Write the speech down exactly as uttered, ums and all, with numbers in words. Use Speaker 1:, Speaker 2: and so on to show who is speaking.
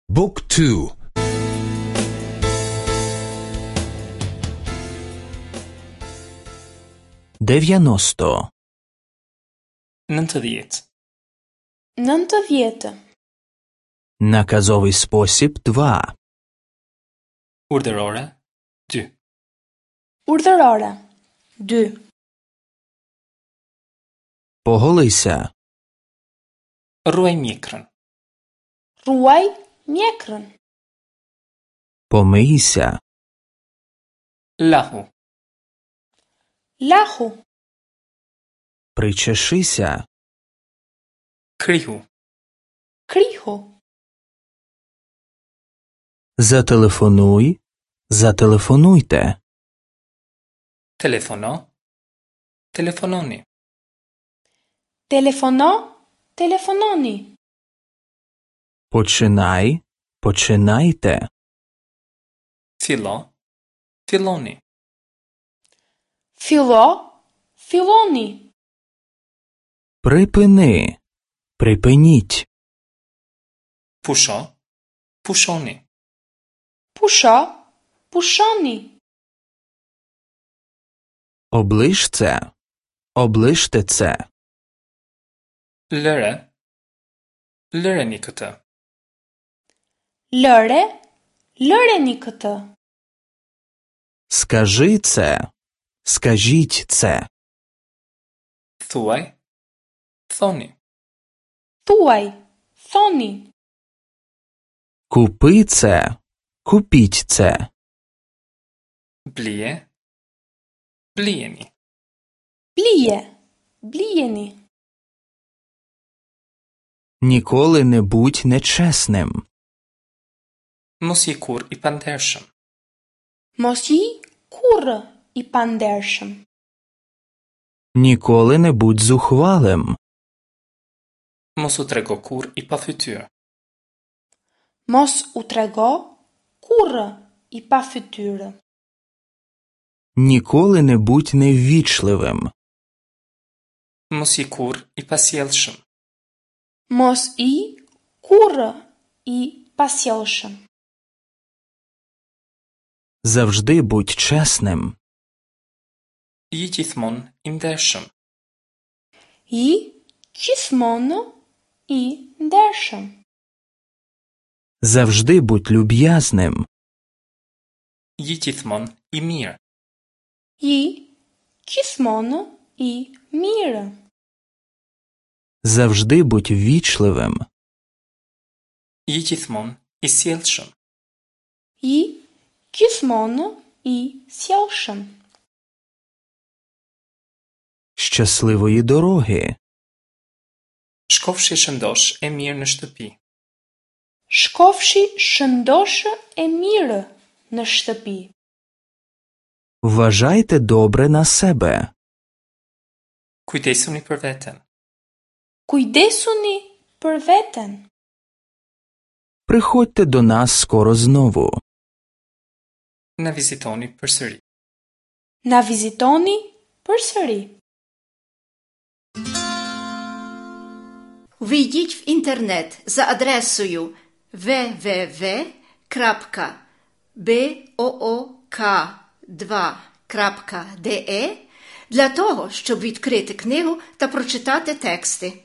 Speaker 1: Book two.
Speaker 2: Дев'яносто.
Speaker 3: Nëntëdhjetë.
Speaker 4: Nëntëdhjetë.
Speaker 2: Наказовий спосіб два.
Speaker 3: Urdhërore dy.
Speaker 4: Urdhërore dy.
Speaker 2: Поголися.
Speaker 3: Rruaj mjekrën.
Speaker 4: Rruaj mjekrën.
Speaker 2: Помийся.
Speaker 3: Lahu.
Speaker 4: Lahu.
Speaker 2: Причешися.
Speaker 3: Krihu.
Speaker 4: Krihu.
Speaker 2: Зателефонуй. Зателефонуйте.
Speaker 3: Telefono. Telefononi.
Speaker 4: Telefono. Telefononi.
Speaker 2: Починай. Починайте.
Speaker 3: Fillo. Filloni.
Speaker 4: Fillo. Filloni.
Speaker 2: Припини. Припиніть.
Speaker 3: Pusho. Pushoni.
Speaker 4: Pusho. Pushoni.
Speaker 2: Облиш це. Облиште це.
Speaker 3: Lëre. Lëreni këtë.
Speaker 4: Lëre. Lëreni këtë.
Speaker 2: Скажи це. Скажіть це.
Speaker 3: Thuaj. Thoni.
Speaker 4: Thuaj. Thoni.
Speaker 2: Купи це. Купіть це.
Speaker 3: Blije. Blijeni.
Speaker 4: Blije. Blijeni.
Speaker 2: Ніколи не будь нечесним.
Speaker 3: Mos je kurrë i pandershëm.
Speaker 4: Mos ji kurrë i pandershëm.
Speaker 2: Ніколи не будь зухвалим.
Speaker 3: Mos u trego kurrë i pafytyrë.
Speaker 4: Mos u trego kurrë i pafytyrë.
Speaker 2: Ніколи не будь неввічливим.
Speaker 3: Mos ji kurrë i pasjellshëm.
Speaker 4: Mos ji kurrë i pasjellshëm.
Speaker 2: Завжди будь чесним.
Speaker 3: Ji gjithmonë i ndershëm.
Speaker 4: Ji gjithmonë i ndershëm.
Speaker 2: Завжди будь люб'язним.
Speaker 3: Ji gjithmonë i mirë.
Speaker 4: Ji gjithmonë i mirë.
Speaker 2: Завжди будь ввічливим.
Speaker 3: Ji gjithmonë i sjellshëm.
Speaker 4: Ji gjithmonë i sjellshëm.
Speaker 2: Щасливої дороги.
Speaker 3: Shkofshi shëndosh e mirë në shtëpi.
Speaker 4: Shkofshi shëndosh e mirë në shtëpi.
Speaker 2: Вважайте добре на себе.
Speaker 3: Kujdesuni për veten.
Speaker 4: Kujdesuni për veten.
Speaker 2: Приходьте до нас скоро знову.
Speaker 3: Na vizitoni përsëri.
Speaker 4: Na vizitoni përsëri.
Speaker 5: Ввійдіть в інтернет за адресою ве ве ве крапка бе о о ка два крапка де е для того, щоб відкрити книгу та прочитати тексти.